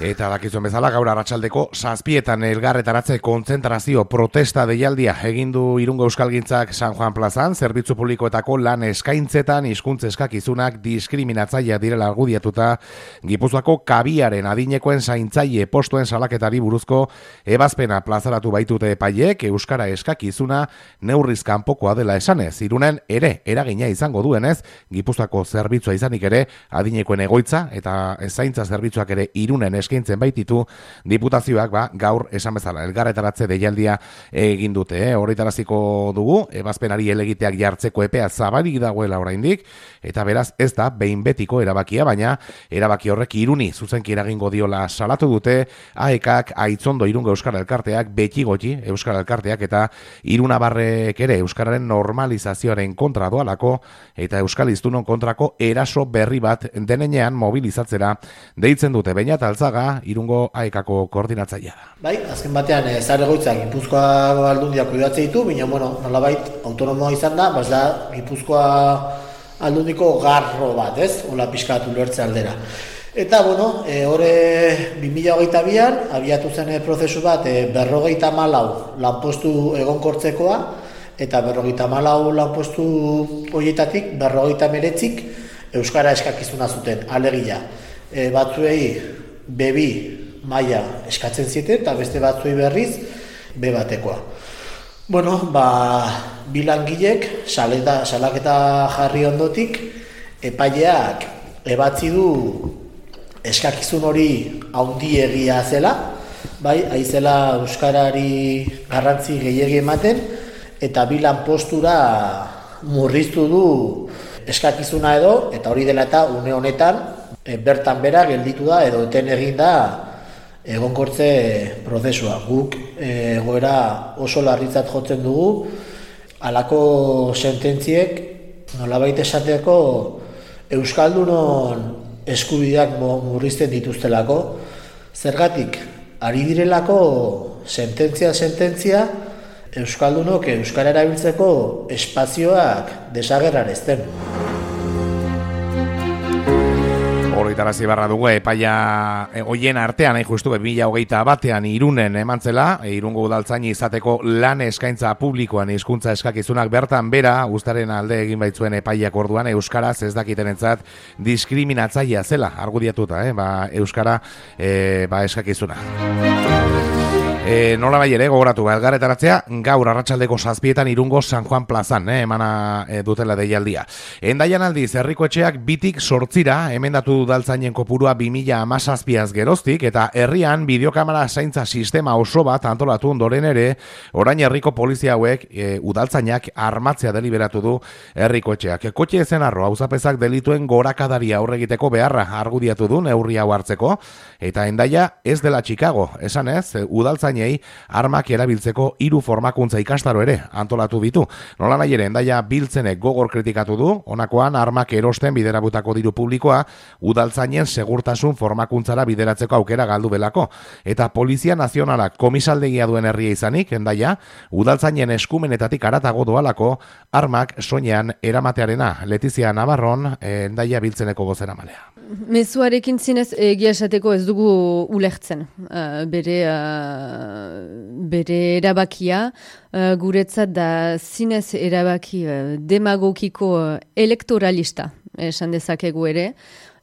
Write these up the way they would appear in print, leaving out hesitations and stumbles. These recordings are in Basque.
Eta dakizuen bezala gaur arratsaldeko 7etan elgarretaratze kontzentrazio protesta deialdia egin du Irungo Euskalgintzak San Juan plazan, zerbitzu publikoetako lan eskaintzetan hizkuntza eskakizunak diskriminatzailea direla argudiatuta Gipuzkoako kabiaren adinekoen zaintzaile postuen salaketari buruzko ebazpena plazaratu baitute epaileek euskara eskakizuna neurriz kanpokoa dela esanez. Irunen ere eragina izango duenez, Gipuzkoako zerbitzua izanik ere adinekoen egoitza eta zaintza zerbitzuak ere Irunen eskaintzen baititu diputazioak gaur esan bezala elgarretaratze deialdia egin dute. Horretaraziko dugu, ebazpenari helegiteak jartzeko epea zabalik dagoela oraindik, eta beraz ez da behin betiko erabakia, baina erabaki horrek Iruni zuzenki eragingo diola salatu dute AEKak, Aitzondo Irungo Euskara Elkarteak, Betigoti Euskara Elkarteak eta Irunabarrek ere euskararen normalizazioaren kontra doalako eta euskal hiztunon kontrako eraso berri bat denenean mobilizatzera deitzen dute. Beñat Altzaga, Irungo AEKako koordinatzailea da. Bai, azken batean zahar-egoitzak Gipuzkoa aldundiak kuidatze ditu, baina nolabait autonomoa izan da, da Gipuzkoa aldundiko garro bat, ez? Ola pixkatu ulertze aldera. Eta, horre 2022an abiatu zen prozesu bat 54 lanpostu egonkortzekoa, eta 54 lanpostu horietatik 59 euskara eskakizuna zuten, alegia. Batzuei B2 maila eskatzen zieten, eta beste batzuei berriz B1-ekoa. Bi langilek salaketa jarri ondotik, epaileak ebatzi du eskakizun hori handiegia zela, aizela euskarari garrantzi gehiegi ematen, eta bi lanpostura murriztu du eskakizuna edo, eta hori dela eta une honetan bertan bera gelditu da edo eten egin da egonkortze prozesua. Guk egoera oso larritzat jotzen dugu, halako sententziek nolabait esateko euskaldunon eskubideak murrizten dituztelako, zergatik ari direlako sententzia euskaldunok euskara erabiltzeko espazioak desagerrarazten. Horretarazi barra dugu epaia hoien artean, justu 2021an Irunen emantzela, Irungo udaltzaini izateko lan eskaintza publikoan hizkuntza eskakizunak bertan bera, ustaren alde egin baitzuen epaiak orduan euskaraz ez dakitenentzat diskriminatzailea zela argudiatuta, euskara eskakizuna. Nola bai ere, gogoratu, elgarretaratzea gaur arratsaldeko 7etan Irungo San Juan plazan, emana dutela deialdia. Endaian aldiz, herriko etxeak 2-8 emendatu udaltzainen kopurua 2017az geroztik, eta herrian bideokamera zaintza sistema oso bat antolatu ondoren ere, orain herriko polizia hauek udaltzainak armatzea deliberatu du herriko etxeak. Kotxe ezen arro, auzapezak delituen gorakadaria aurregiteko beharra argudiatu du neurri hau hartzeko, eta Endaia ez dela Chicago, esanez, udaltzainei armak erabiltzeko 3 formakuntza ikastaro ere antolatu ditu. Nola nahi ere, Endaia biltzenek gogor kritikatu du, honakoan armak erosten biderabutako diru publikoa udaltzainen segurtasun formakuntzara bideratzeko aukera galdu belako. Eta Polizia Nazionalak komisaldegia duen herria izanik, Endaia, udaltzainen eskumenetatik haratago doalako armak soinean eramatearena. Letizia Navarron, Endaia biltzeneko bozeramalea. Mezuarekin zinez egia esateko ez dugu ulertzen. Bere erabakia guretzat da zinez erabaki demagogiko elektoralista esan dezakegu ere.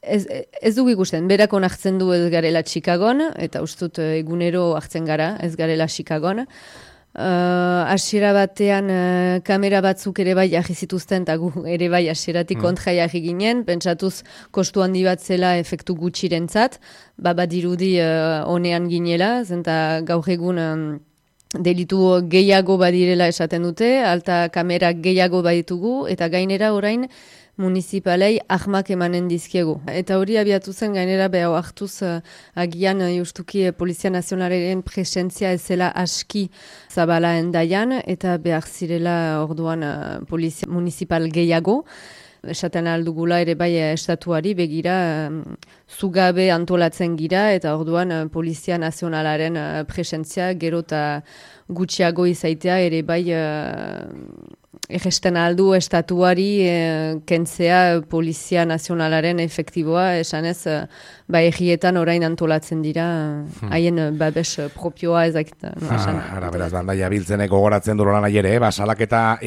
Ez dugu ikusten, berak onartzen du ez garela Chicagon, eta ustut egunero hartzen gara ez garela Chicagon. Hasiera batean kamera batzuk ere bai jarri zituzten, eta gu ere bai hasieratik kontra jarri ginen, pentsatuz kostu handi bat zela efektu gutxirentzat, badirudi honean ginela, zenta gaur egun delitu gehiago badirela esaten dute, alta kamera gehiago baditugu, eta gainera orain municipalei ahmak emanen dizkiegu. Eta hori abiatu zen gainera behar hartuz agian justuki Polizia Nazionalaren presentzia ezela aski zabala Endaian, eta behar zirela orduan polizia municipal gehiago. Esaten aldugula ere bai estatuari begira zugabe antolatzen gira, eta orduan Polizia Nazionalaren presentzia gero eta gutxiago izaitea ere bai Egesten aldu estatuari kentzea Polizia Nazionalaren efektiboa, esanez, egietan orain antolatzen dira, haien babes propioa ezakit. Beraz, Dandaia biltzenek gogoratzen du lan aiere, salaketa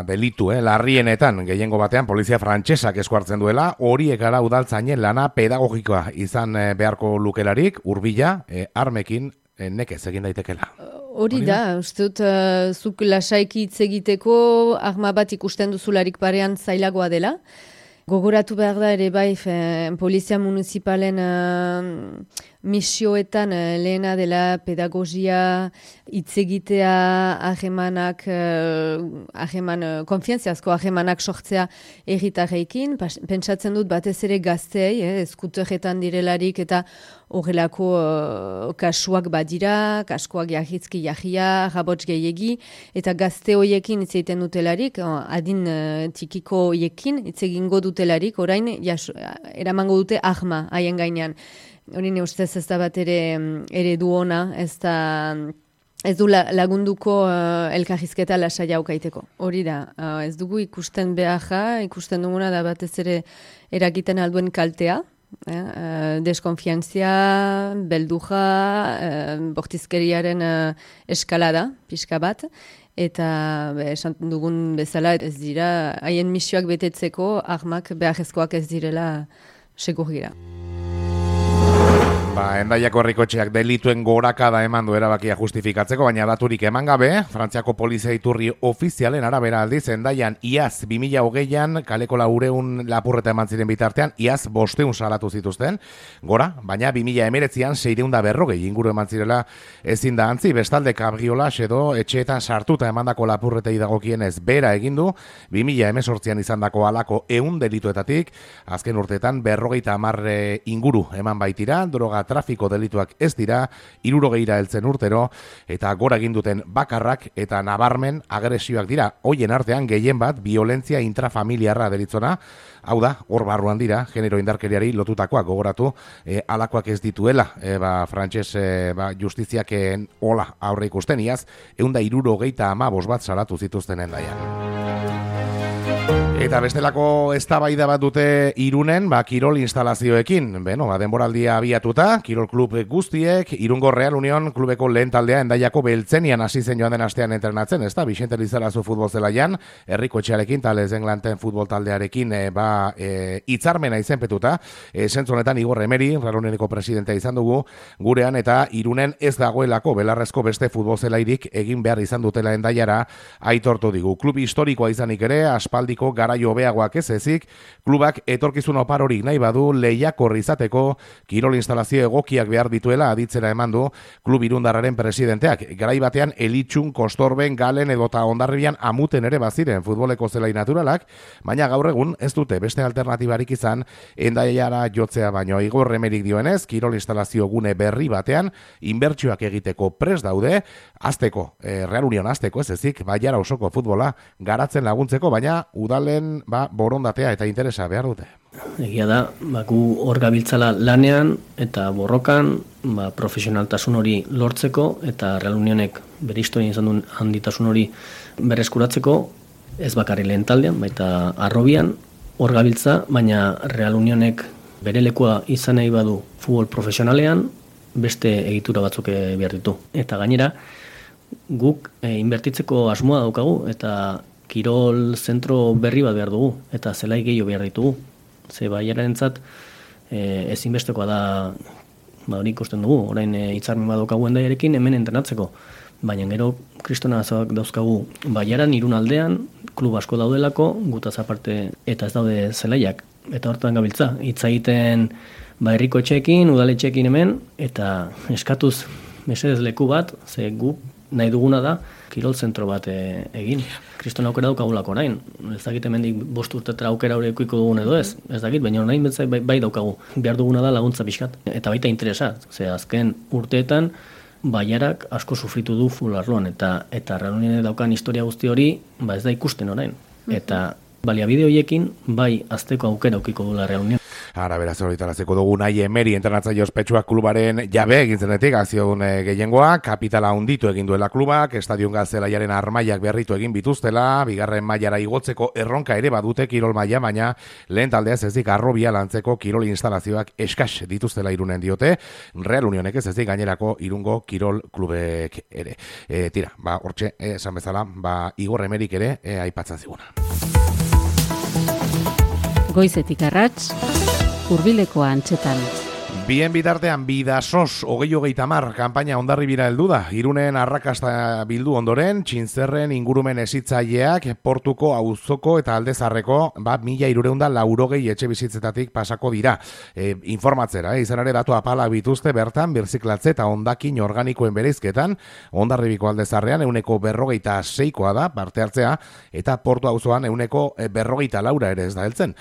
delitu, larrienetan, gehiengo batean, polizia frantsesak eskuartzen duela, horiek gara udaltzainen lana pedagogikoa izan beharko lukelarik, hurbila, armekin, nekez egin daitekela. Hori da, uste dut, zuk lasaiki hitz egiteko arma bat ikusten duzularik parean zailagoa dela. Gogoratu behar da ere bai, polizia municipalen misioetan lehena dela pedagogia, hitz egitea, konfiantziazko ahemanak sortzea herritarrekin. Pentsatzen dut batez ere gazteei, eskuterretan direlarik eta horrelako kasuak badira, kaskoak jahitzki jahia, rabots gehiegi, eta gazte hoiekin hitz egiten dutelarik, adin tikiko hoiekin hitz egingo dutelarik, orain eramango dute ahma haien gainean. Hori ne ustez ez da bat ere du ona, ez du lagunduko elkarrizketa lasai aukaiteko. Hori da, ez dugu ikusten beharra, ikusten duguna da batez ere eragiten alduen kaltea, deskonfiantzia, belduja, bortizkeriaren eskalada, pixka bat, eta esan dugun bezala ez dira, haien misioak betetzeko armak beharrezkoak ez direla segurgira. Hendaiako herrikotxeak delituen gorakada eman du erabakia justifikatzeko, baina daturik eman gabe, Frantziako polizia iturri ofizialen arabera aldiz, Hendaian iaz 2020an kaleko 400 lapurreta eman ziren bitartean, iaz 500 salatu zituzten, gora, baina 2019an 640 inguru eman zirela ezin da antzi, bestalde kabriolas edo etxeetan sartuta emandako lapurretei dagokienez bera egindu, 2018an izandako halako 100 delituetatik, azken urteetan 50 inguru eman baitira, droga trafiko delituak ez dira, 60 heltzen urtero, eta gora egin duten bakarrak eta nabarmen agresioak dira. Hoien artean gehien bat violentzia intrafamiliarra deritzona, hau da, hor barruan dira, genero indarkeriari lotutakoak gogoratu, alakoak ez dituela, frantses justiziak hola aurre ikusten iaz, 165 bat salatu zituzten Hendaian. Eta bestelako eztabaida bat dute Irunen, kirol instalazioekin. Denboraldia abiatuta, kirol klub guztiek, Irungo Real Union klubeko lehen taldea Hendaiako Beltzenian hasi zen joan den astean entrenatzen, ez da, Vicente Lizarazu futbol zelaian, herrikotxearekin, Tales Englanten futbol taldearekin hitzarmena izenpetuta, zentzu honetan Igor Emeri, Real Unioneko presidentea izan dugu, gurean eta Irunen ez dagoelako belarrezko beste futbol zelairik egin behar izan dutela Hendaiara aitortu digu. Klub historikoa izanik ere, aspaldiko garaio hobeagoak ez ezik, klubak etorkizun oparorik nahi badu lehiakor izateko kirol instalazio egokiak behar dituela aditzera eman du klub irundarraren presidenteak. Garai batean Elitxun, Kostorben, Galen edota Hondarribian amuten ere baziren futboleko zelai naturalak, baina gaur egun ez dute beste alternatibarik izan Hendaiara jotzea baino. Igor Emerik dioenez, kirol instalazio gune berri batean inbertsioak egiteko prest daude, azteko, Real Union azteko ez ezik, Baiara osoko futbola garatzen laguntzeko, baina udalen borondatea eta interesa behar dute. Egia da, gu hor gabiltzala lanean eta borrokan profesionaltasun hori lortzeko eta Real Unionek bere historian izan duen handitasun hori berreskuratzeko, ez bakarri lehen taldean, baita arrobian hor gabiltza, baina Real Unionek bere lekua izan nahi badu futbol profesionalean beste egitura batzuk behar ditu. Eta gainera, guk inbertitzeko asmoa daukagu eta kirol zentro berri bat behar dugu, eta zelai gehiago behar ditugu. Ze Baiararentzat ezinbestekoa da, hori ikusten dugu, orain hitzarmen bat daukagu Hendaiarekin hemen entrenatzeko. Baina gero kristona dauzkagu Baiaran, Irun aldean, klub asko daudelako, gutaz aparte eta ez daude zelaiak. Eta hortan gabiltza, hitz egiten herriko etxeekin, udaletxeekin hemen, eta eskatuz mesedez leku bat, ze guk nahi duguna da, kirol zentro bat egin. Kriston aukera daukagulako orain. Ez dakit hemendik 5 urtetara aukera hori ekuiko dugun edo ez. Ez dakit, baina orain betzai bai daukagu. Behar duguna da laguntza pixkat. Eta baita interesa. Ze azken urteetan Baiarak asko sufritu du fularloan. Eta Real Unionek daukan historia guzti hori ez da ikusten orain. Eta baliabide horiekin bai azteko aukera aukiko dula Real Union. Ara, beraz, horretaraziko dugu Unai Emery entrenatzaile ospetsuak klubaren jabe egin zenetik, akzion gehiengoa, kapitala hunditu egin duela klubak, estadion Zelaiaren armailak berritu egin bituztela, bigarren mailara igotzeko erronka ere badute kirol maila, baina lehen taldeaz ezik arrobia lantzeko kirol instalazioak eskas dituztela Irunen diote, Real Unionek ez ezik gainerako Irungo kirol klubek ere. Tira, hortxe, esan bezala, Igor Emeryk ere aipatzen ziguna. Goizetik arrats, Hurbileko antxetan. Bien bitartean, Bidasos, 2030 kanpaina Hondarribira heldu da. Irunen arrakasta bildu ondoren, Txintzerren ingurumen hezitzaileak portuko auzoko eta aldezarreko 1380 etxe bizitzetatik pasako dira. Informatzera, izan ere datu apala bituzte bertan, birziklatze eta hondakin organikoen bereizketan, Hondarribiko aldezarrean 46%koa da parte hartzea, eta portu auzoan 44% ere ez da heltzen.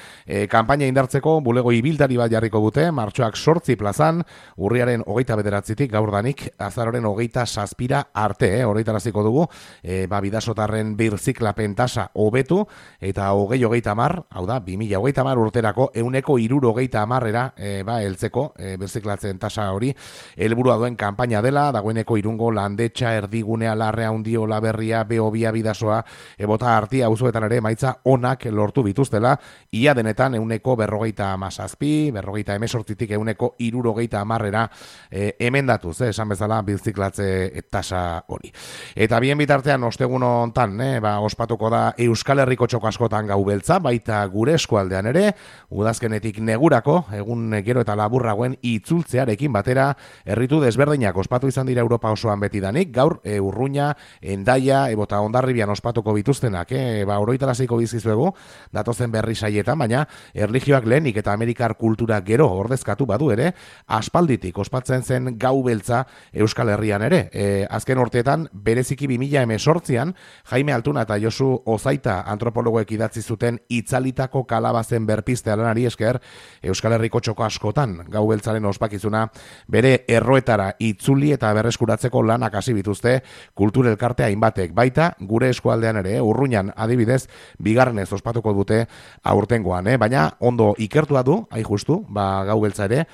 Kanpaina indartzeko bulego ibiltari bat jarriko dute, martxoak 8 plazan, urriaren 29tik gaurdanik, azaroren 27 arte, horretaraziko dugu, Bidasotarren birziklapen tasa hobetu, eta 2030, hau da, 2030 urterako 160%era heltzeko birziklatzen tasa hori, helburua duen kanpaina dela, dagoeneko Irungo Landetxa, Erdigunea, Larrea, Undio, Laberria, Beobia, Bidasoa, Bota Artia, auzoetan ere maitza onak lortu bituztela, ia denetan 157, 158tik 160%era emendatuz, esan bezala birziklatze tasa hori. Eta bien bitartean ostegun hontan, ospatuko da Euskal Herriko txoko askotan gau beltza, baita gure eskualdean ere, udazkenetik negurako, egun gero eta laburragoen itzultzearekin batera, herritu desberdinak ospatu izan dira Europa osoan betidanik, gaur Urruña, Hendaia, Bota Hondarribian ospatuko bituztenak, oroitaraziko bizkizuegu, datozen berri saietan, baina erlijioak lehenik eta Amerikar kultura gero ordezkatu badu ere, aspalditik ospatzen zen gau beltza Euskal Herrian ere. Azken urteetan, bereziki 2018an, Jaime Altuna eta Josu Ozaita antropologoek idatzi zuten itzalitako kalabazen berpiste lanari esker, Euskal Herriko txoko askotan gau beltzaren ospakizuna bere erroetara itzuli eta berreskuratzeko lanak hasi bituzte kultur elkarte hainbatek, baita gure eskualdean ere, Urruñan adibidez, bigarrenez ospatuko dute aurtengoan, baina ondo ikertua du, justu, gau beltza ere,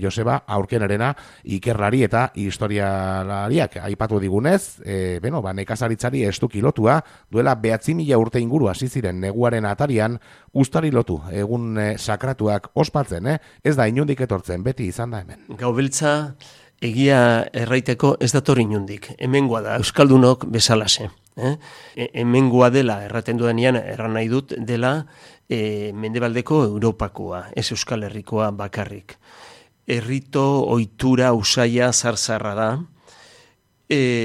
Joseba Aurkenarena ikerlari eta historialariak aipatu digunez, nekazaritzari estuki lotua, duela 9.000 urte inguru hasi ziren neguaren atarian ustari lotu, egun sakratuak ospatzen, ez da inundik etortzen, beti izan da hemen. Gaubeltza egia erraiteko ez dator inundik, hemengoa da, euskaldunok bezalase. Hemengoa dela, erraten dudanean, erran nahi dut, dela mendebaldeko Europakoa, ez Euskal Herrikoa bakarrik. Errito, ohitura, usaia, zarzarra da,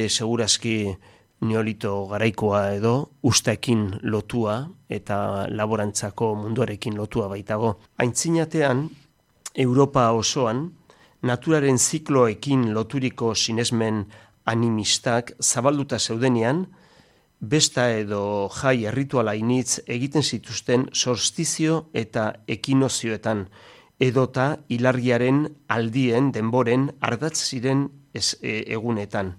segurazki neolito garaikoa edo, usteekin lotua eta laborantzako munduarekin lotua baitago. Aintzinatean, Europa osoan, naturaren zikloekin loturiko sinesmen animistak zabalduta zeudenean, besta edo jai errituala initz egiten zituzten solstizio eta ekinozioetan, edota hilargiaren aldien denboren ardatz ziren egunetan.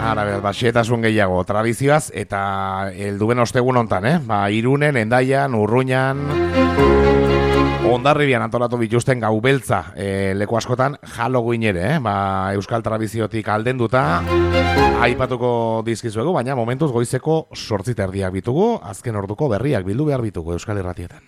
Ara, xehetasun gehiago, tradizioaz, eta helduben ostegun hontan, Irunen, Hendaian, Urruñan, Hondarribian antolatu bituzten gau beltza leku askotan Halloween ere, euskal tradiziotik aldenduta aipatuko dizkizuegu, baina momentuz goizeko 8:30 bitugu, azken orduko berriak bildu behar bitugu Euskal Irratietan.